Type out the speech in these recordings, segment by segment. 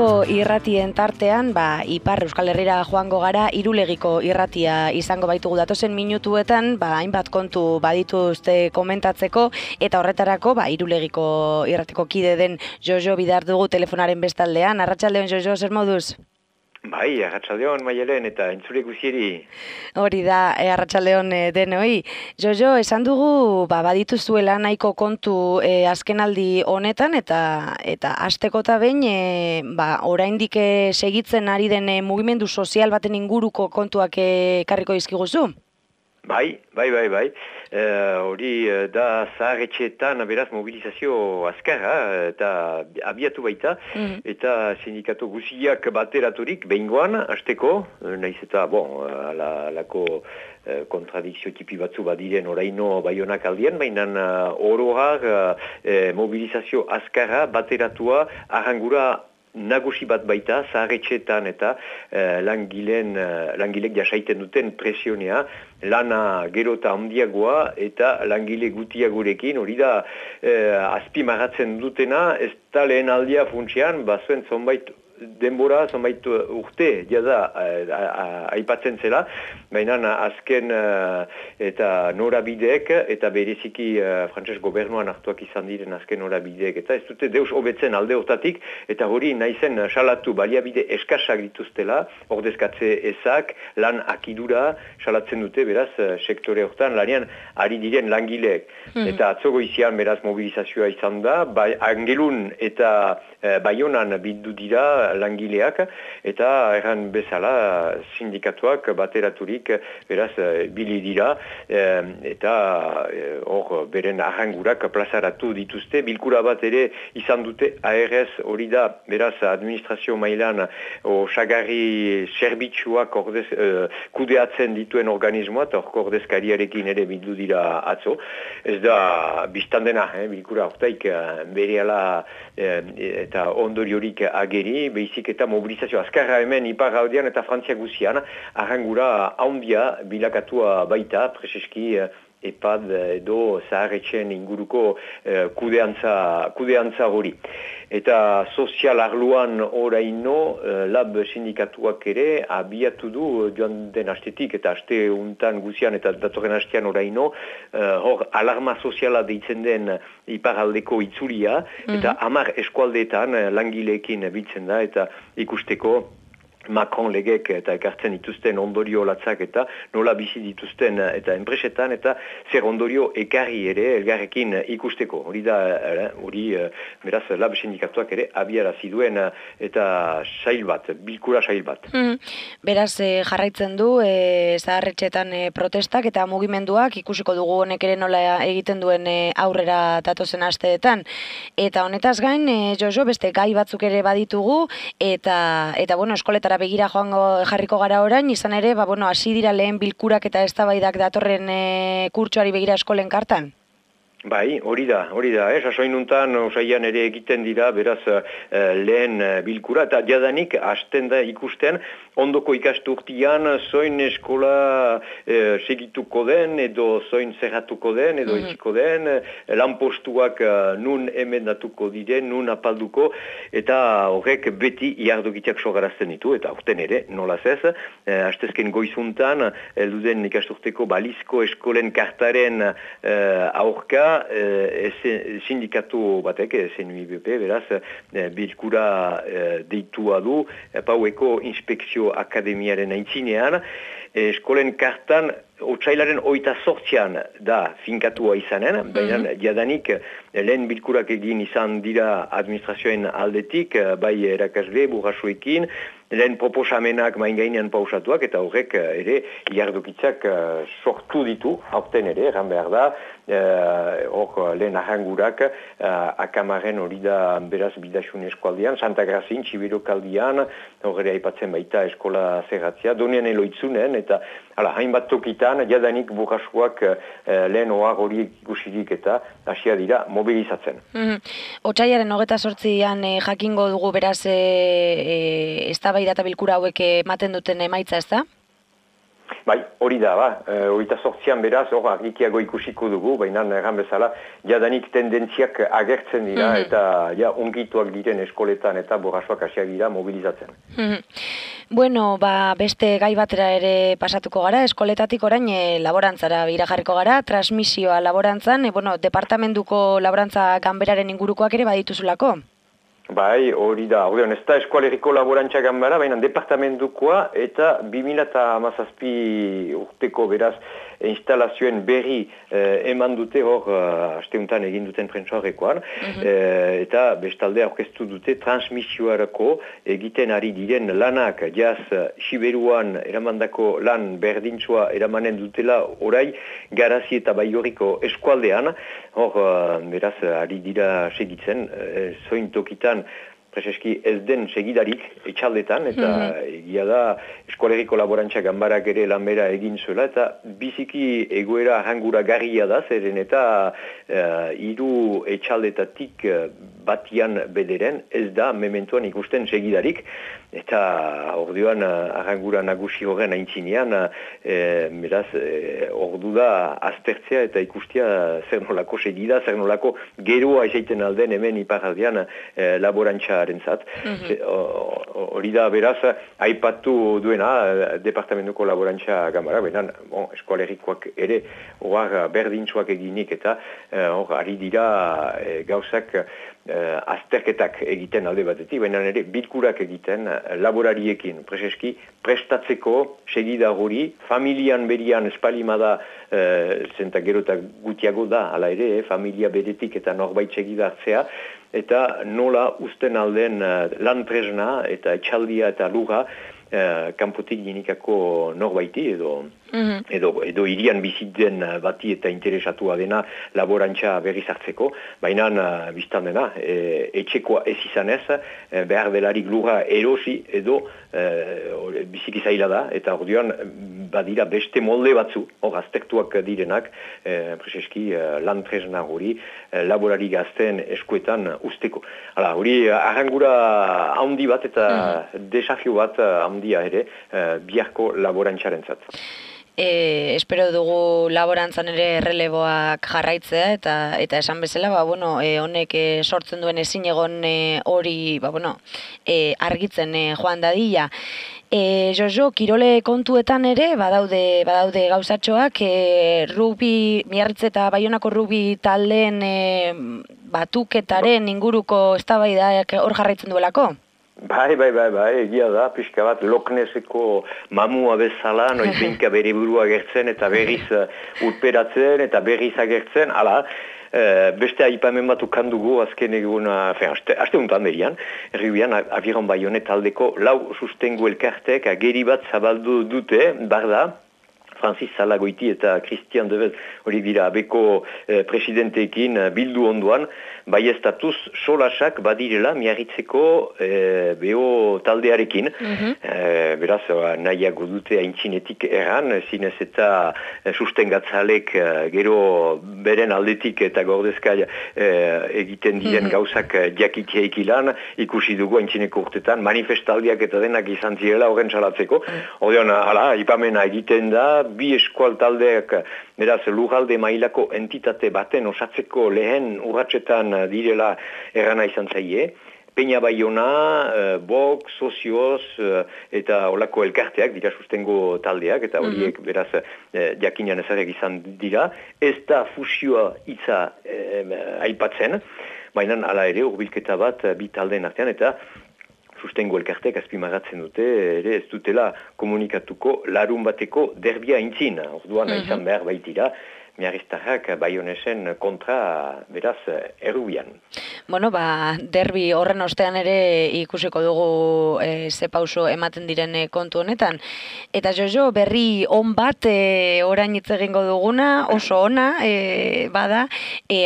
Gaurko irratien tartean, Ipar Euskal Herrira joango gara, Irulegiko irratia izango baitugu datozen minutuetan, hainbat kontu badituzte komentatzeko, eta horretarako, Irulegiko irratiko kide den Jojo Bidar dugu telefonaren bestaldean. Arratsaldeon, Jojo, zer moduz? Bai, arratsaldeon Maialen eta entzule guzieri. Hori da, arratsaldeon denoi. Jojo, esan dugu badituzuela nahiko kontu azkenaldi honetan eta hasteko eta behin oraindik segitzen ari den mugimendu sozial baten inguruko kontuak ekarriko dizkiguzu? Bai. Hori da zaharretxeetan beraz mobilizazio azkarra eta abiatu baita, eta sindikatu guziak bateraturik behingoan, hasteko, nahiz eta, alako kontradikzio tipi batzu badiren oraino Baionak aldien, baina oroar mobilizazio azkarra bateratua arrangura nagusi bat baita, zaharretxeetan eta langilek jasaiten duten presionea, lana gero eta handiagoa eta langile gutiagorekin, hori da azpimarratzen dutena, ez da lehen aldia funtsean, zuen zonbait denbora, zonbait urte, jada, aipatzen zela, baina azken eta norabideek, eta bereziki frantses gobernuan hartuak izan diren azken norabideek, eta ez dute deus hobetzen alde hortatik, eta hori naizen salatu baliabide eskasak dituztela, ordezkatze ezak, lan akidura, salatzen dute, beraz, sektore hortan, lanean ari diren langileek. Eta atzogo izian, beraz, mobilizazioa izan da, Angelun eta Baionan bildu dira langileak, eta erran bezala sindikatuak bateraturik beraz bili dira, eta hor beren arrangurak plazaratu dituzte. Bilkura bat ere izan dute ARS, hori da beraz administrazio mailan osagarri zerbitzuak kudeatzen dituen organismoa, eta hor ordezkariarekin ere bildu dira atzo. Ez da biztan dena, bilkura hortaik berehala eta ondoriorik ageri, behizik eta mobilizazio azkarra hemen Ipar Aldean eta Frantzia guzian, arrangura handia bilakatua baita, preseski EPAD edo zaharretxen inguruko kudeantza hori. Eta sozial arloan oraino lab sindikatuak ere abiatu du joan den astetik eta aste untan guzian eta datorren astean oraino hor alarma soziala deitzen den iparaldeko itzulia eta 10 eskualdeetan langileekin biltzen da eta ikusteko Macron legek eta ekartzen dituzten ondorio latzak eta nola bizi dituzten eta enpresetan eta zer ondorio ekarri ere elgarrekin ikusteko. Hori da, beraz, lab sindikatuak ere abiarazi duen eta bilkura sail bat. Beraz, jarraitzen du zaharretxetan protestak eta mugimenduak ikusiko dugu honek ere nola egiten duen aurrera datozen asteetan. Eta honetaz gain, Jojo, beste gai batzuk ere baditugu eta eskoletara begira jarriko gara orain, izan ere, hasi dira lehen bilkurak eta eztabaidak datorren kurtsoari begira eskolen kartan? Bai, hori da, sasoinuntan osaian ere egiten dira, beraz lehen bilkura, eta jadanik hasten da ikusten, ondoko ikasturtian zoin eskola segituko den, edo zoin zerratuko den, edo etxiko den, lanpostuak nun emendatuko diren, nun apalduko, eta horrek beti iardokitiak sogarazten ditu, eta horten ere, nolaz ez, hastezken goizuntan, elduden ikasturteko balizko eskolen kartaren aurka, sindikatu batek, SNUIBP, beraz, bilkura deitua du, paueko inspekzio akademiaren aintzinean, eskolen kartan otsailaren 28an da finkatua izanen, baina jadanik lehen bilkurak egin izan dira administrazioen aldetik, bai erakasle, burrasuekin, lehen proposamenak maingainean pausatuak, eta horrek ere iardokitzak sortu ditu, aurten ere, erran behar da, hor lehen arrangurak akamaren hori da beraz bidaxun eskualdean, Santa Grazin, Txibirokaldian, hor ere aipatzen baita eskola zerratzea, donean eloitzunen, eta hainbat tokitan, jadanik burrasuak lehen ohar horiek ikusirik eta hasia dira mobilizatzen. Otsaiaren 28an jakingo dugu beraz eztabaida eta bilkura hauek ematen duten emaitza, ez da? Bai, hori da, horita sortzian beraz, hor argikiago ikusiko dugu, baina erran bezala, jadanik tendentziak agertzen dira, eta ongituak diren eskoletan eta borrasoak hasiak dira mobilizatzen. Bueno, beste gai batera ere pasatuko gara, eskoletatik orain laborantzara irajarriko gara, transmisioa laborantzan, departamentuko laborantza ganberaren ingurukoak ere badituzulako? Bai, hori da, ez da eskualeriko laborantza ganbara, baina departamentukoa eta 2017 urteko beraz instalazioen berri eman dute hor asteuntan egin duten prentsoarekoan, eta bestalde aurkeztu dute transmisioarako egiten ari diren lanak, jaz Siberuan eramandako lan berdintzua eramanen dutela orai Garazi eta Baigorriko eskualdean, hor beraz ari dira segitzen, zoin tokitan preseski ez den segidarik etxaldetan, eta egia da eskualeriko laborantza ganbarak ere lanbera egin zuela, eta biziki egoera arrangura garria da, zeren eta 3 etxaldetatik batian bederen ez da mementuan ikusten segidarik, eta orduan arrangura nagusi horren aintzinean, beraz, ordu da aztertzea eta ikustea zer nolako segida, zer nolako geroa esaiten alden hemen iparraldean laborantzarentzat. Hori da beraz, aipatu duena departamentuko laborantza ganbara, benan eskualerikoak ere hor berdintzuak eginik eta hor ari dira gauzak azterketak egiten alde batetik, baina ere bilkurak egiten laborariekin preseski prestatzeko segida hori, familian berian espalimada zenta gero eta gutiago da, ala ere, familia beretik eta norbait segida hartzea, eta nola usten alden lan tresna eta etxaldia eta lura kanpotik dinikako norbaiti edo irian biziten bati eta interesatua dena laborantza berriz hartzeko, baina biztan dena, etxekoa ez izanez, behar delarik lura erosi edo biziki zaila da, eta orduan badira beste molde batzu, hor aztertuak direnak, preseski lan tresna hori, laborari gazten eskuetan usteko. Hala, hori arrangura handi bat eta desafio bat handia ere biharko laborantzarentzat. Espero dugu laborantzan ere erreleboak jarraitzea eta esan bezala, honek sortzen duen ezin egon hori, argitzen joan dadila. Jojo, kirole kontuetan ere badaude gauzatxoak, rugbi, Miarritze eta Baionako rugbi taldeen batuketaren inguruko eztabaidak hor jarraitzen duelako? Bai, egia da, pixka bat Lokneseko mamua bezala, noizenka bere burua agertzen eta berriz urperatzen eta berriz agertzen, hala, beste aipamen bat ukandugu azken egun, aste untan berian, erribian, Aviron Baionet taldeko 4 sustengu elkartek ageri bat zabaldu dute, barda, Francis Salagoiti eta Christian Devez hori dira abeko presidenteekin bildu onduan, baieztatuz solasak badirela Miarritzeko beho taldearekin. Beraz, nahiago dute aintzinetik erran, zinez eta sustengatzalek gero beren aldetik eta gordezkai egiten diren gauzak jakiteik ilan, ikusi dugu aintzineko urtetan, manifestaldiak eta denak izan zirela horren salatzeko. Ordean, ipamena egiten da, bi eskual taldeak, beraz, lurralde mailako entitate baten osatzeko lehen urratsetan direla errana izan zaie. Peña Baiona, Bok, Sozioz eta olako elkarteak dira sustengo taldeak, eta horiek beraz jakinan ezarek izan dira. Ez da fusioa hitza aipatzen, baina hala ere hurbilketa bat bi taldeen artean, eta sustengo elkartek azpimarratzen dute, ere ez dutela komunikatuko larun bateko derbia intzin. Orduan izan behar baitira, Miarriztarrak Baionesen kontra beraz errubian. Derbi horren ostean ere ikusiko dugu ze pauso ematen diren kontu honetan. Eta Jojo, berri on bat orain hitz egingo duguna, oso ona bada,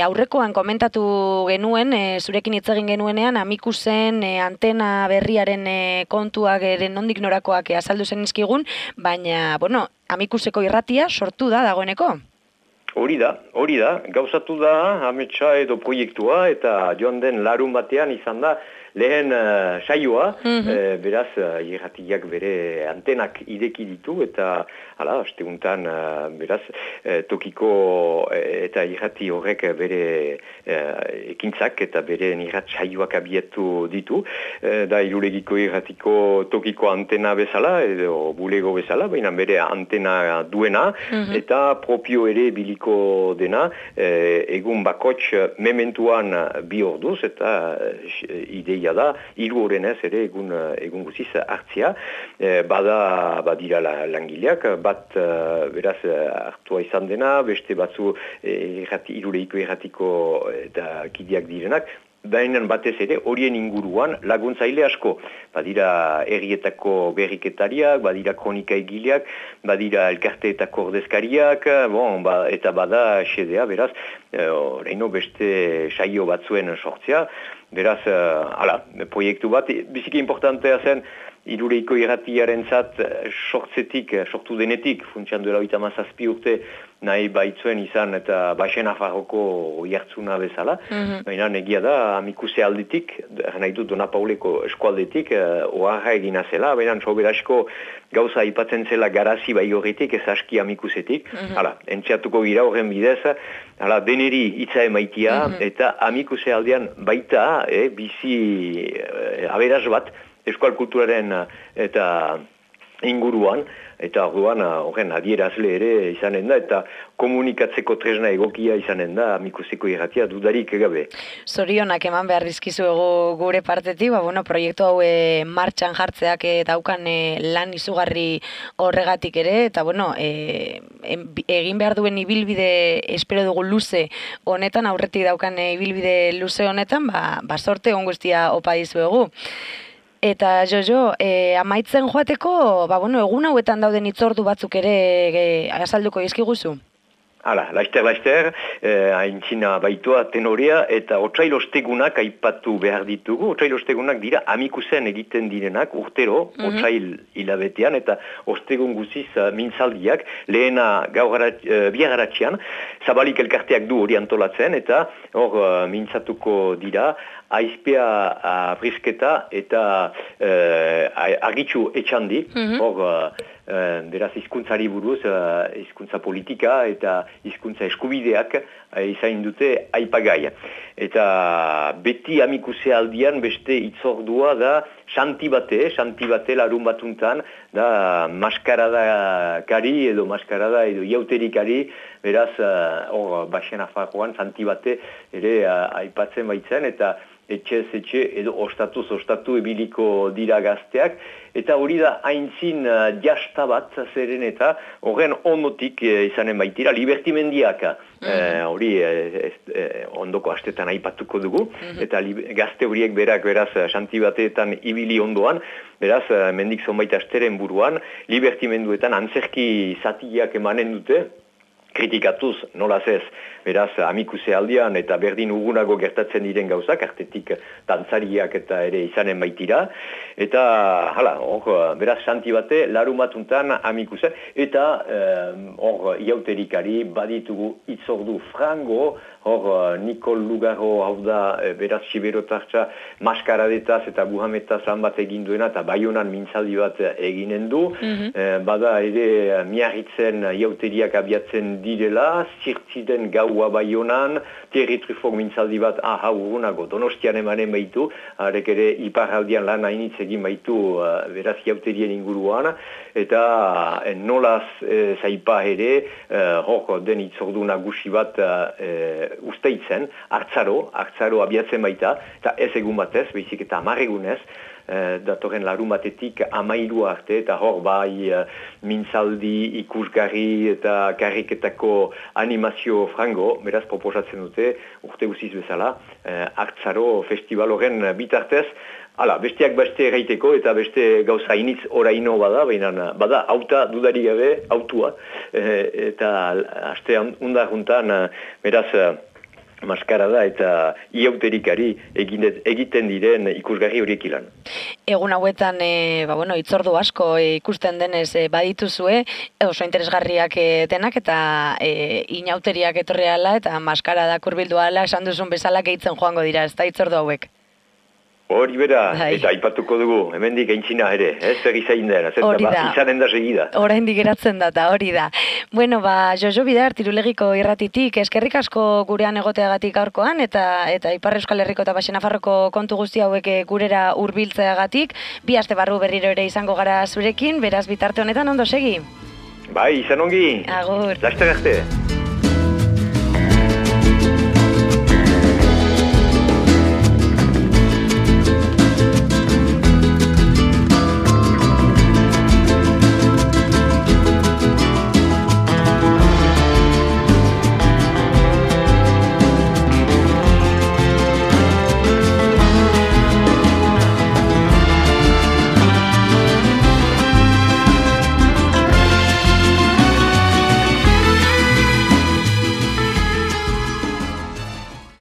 aurrekoan komentatu genuen, zurekin hitz egin genuenean, Amikusen antena berriaren kontuak nondik norakoak azaldu zenizkigun, baina, Amikuseko irratia sortu da dagoeneko? Hori da, gauzatu da ametsa edo proiektua eta joan den larun batean izan da lehen saioa, beraz, irratiak bere antenak ideki ditu, eta asteguntan, beraz, tokiko eta irrati horrek bere ekintzak eta bere irrat saioak abietu ditu, da irulegiko irratiko tokiko antena bezala, edo bulego bezala, baina bere antena duena, eta propio ere biliko dena, egun bakots mementuan 2 orduz, eta ideia da, 3 horrenez ere egun guziz hartzia, badira langileak, bat beraz hartua izan dena, beste batzu irulegiko irratiko eta kideak direnak, baina batez ere horien inguruan laguntzaile asko. Badira herrietako berriketariak, badira kronika egileak, badira elkarteetako ordezkariak, eta bada xedea, beraz, oraino beste saio batzuen sortzea, beraz, proiektu bat, biziki importantea zen, Iruleiko irratiaren zat sortu denetik, funtsian duela 57 urte nahi baitzuen izan eta Baixen Nafarroko jartzuna bezala. Baina negia da, amikuse aldetik, nahi dut Dona Pauleko eskualdetik, oharra egina zela, baina soberasko gauza aipatzen zela garazi bai horretik, ez aski amikusetik. Entxeatuko gira horren bidez, deneri hitza emaitia, eta amikuse aldean baita, bizi aberaz bat, eskual kulturaren eta inguruan, eta orduan horren adierazle ere izanen da, eta komunikatzeko tresna egokia izanen da amikuseko irratia dudarik gabe. Zorionak eman behar dizkizuegu gure partetik, proiektu hau martxan jartzeak daukan lan izugarri horregatik ere, eta egin behar duen ibilbide espero dugu luze honetan, aurretik daukan ibilbide luze honetan, sorte on guztia opa dizuegu. Eta Jojo, amaitzen joateko, egun hauetan dauden hitzordu batzuk ere azalduko dizkiguzu? Laster, haintzina baitua tenorea eta otsail ostegunak aipatu behar ditugu. Otsail ostegunak dira amikusen egiten direnak urtero, otsail hilabetean, eta ostegun guziz mintzaldiak, lehena biagaratxean, zabalik elkarteak du hori antolatzen, eta hor mintzatuko dira, aizpea brisketa eta argitxu etxandi, hor beraz hizkuntzari buruz, hizkuntza politika eta hizkuntza eskubideak izain dute aipagai. Eta beti amikuse aldian beste hitzordua da Santi bate larun batuntan, da maskarada kari edo iauterikari, beraz hor Baixen Nafarroan Santi bate ere aipatzen baitzen, eta etxez etxe edo ostatu ebiliko dira gazteak, eta hori da haintzin jasta bat zeren eta horren ondotik izanen baitira libertimendiak, hori ondoko astetan aipatuko dugu, eta gazte horiek beraz Santi bateetan ibili ondoan, beraz mendik zonbait asteren buruan, libertimenduetan antzerki zatiak emanen dute, kritikatuz, nolaz ez, beraz, amikuse aldian eta berdin ugunago gertatzen diren gauzak, artetik dantzariak eta ere izanen baitira, eta, beraz, Santi bate, larun batuntan amikuse, eta hor iauterikari baditugu itzordu frango, hor Nikol Lugarro hau da, beraz, siberotartza maskaradetaz eta buhametaz lan bat egin duena, eta Baionan mintzaldi bat eginen du, bada ere miarritzen iauteriak abiatzen direla, zirtziden gaua Baionan, Thierry Truffaut mintzaldi bat, urgunago, Donostian emanen baitu, arek ere iparraldian lan hainitz egin baitu, beraz, iauterien inguruan, eta nolaz zaipa ere, hor den itzordu nagusi bat usteitzen, hartzaro abiatzen baita, eta ez egun batez, baizik eta 10 egunez, datorren larun batetik 13 arte, eta hor bai mintzaldi, ikusgarri eta karriketako animazio frango, beraz proposatzen dute, urte guziz bezala, hartzaro festival horren bitartez, besteak beste erraiteko eta beste gauza initz oraino bada auta dudari gabe, autua, eta aste undarruntan, beraz, maskarada eta iauterikari egiten diren ikusgarri horiek ilan. Egun hauetan, hitzordu asko ikusten denez badituzue, oso interesgarriak denak eta inauteriak etorri ala eta maskarada kurbildu ala esan duzun bezala gehitzen joango dira, ez da hitzordu hauek? Hori bera, Bai. eta aipatuko dugu, hemendik aintzina ere, zer izain dena, Hori da. izanen da segida. Oraindik geratzen data, hori da. Bueno, Jojo Bidar, Tirulegiko irratitik, eskerrik asko gurean egoteagatik gaurkoan, eta Ipar Euskal Herriko eta Baxe Nafarroko kontu guzti hauek gurera hurbiltzeagatik, 2 aste barru berriro ere izango gara zurekin, beraz bitarte honetan ondo segi. Bai, izan ongi. Agur. Laster arte.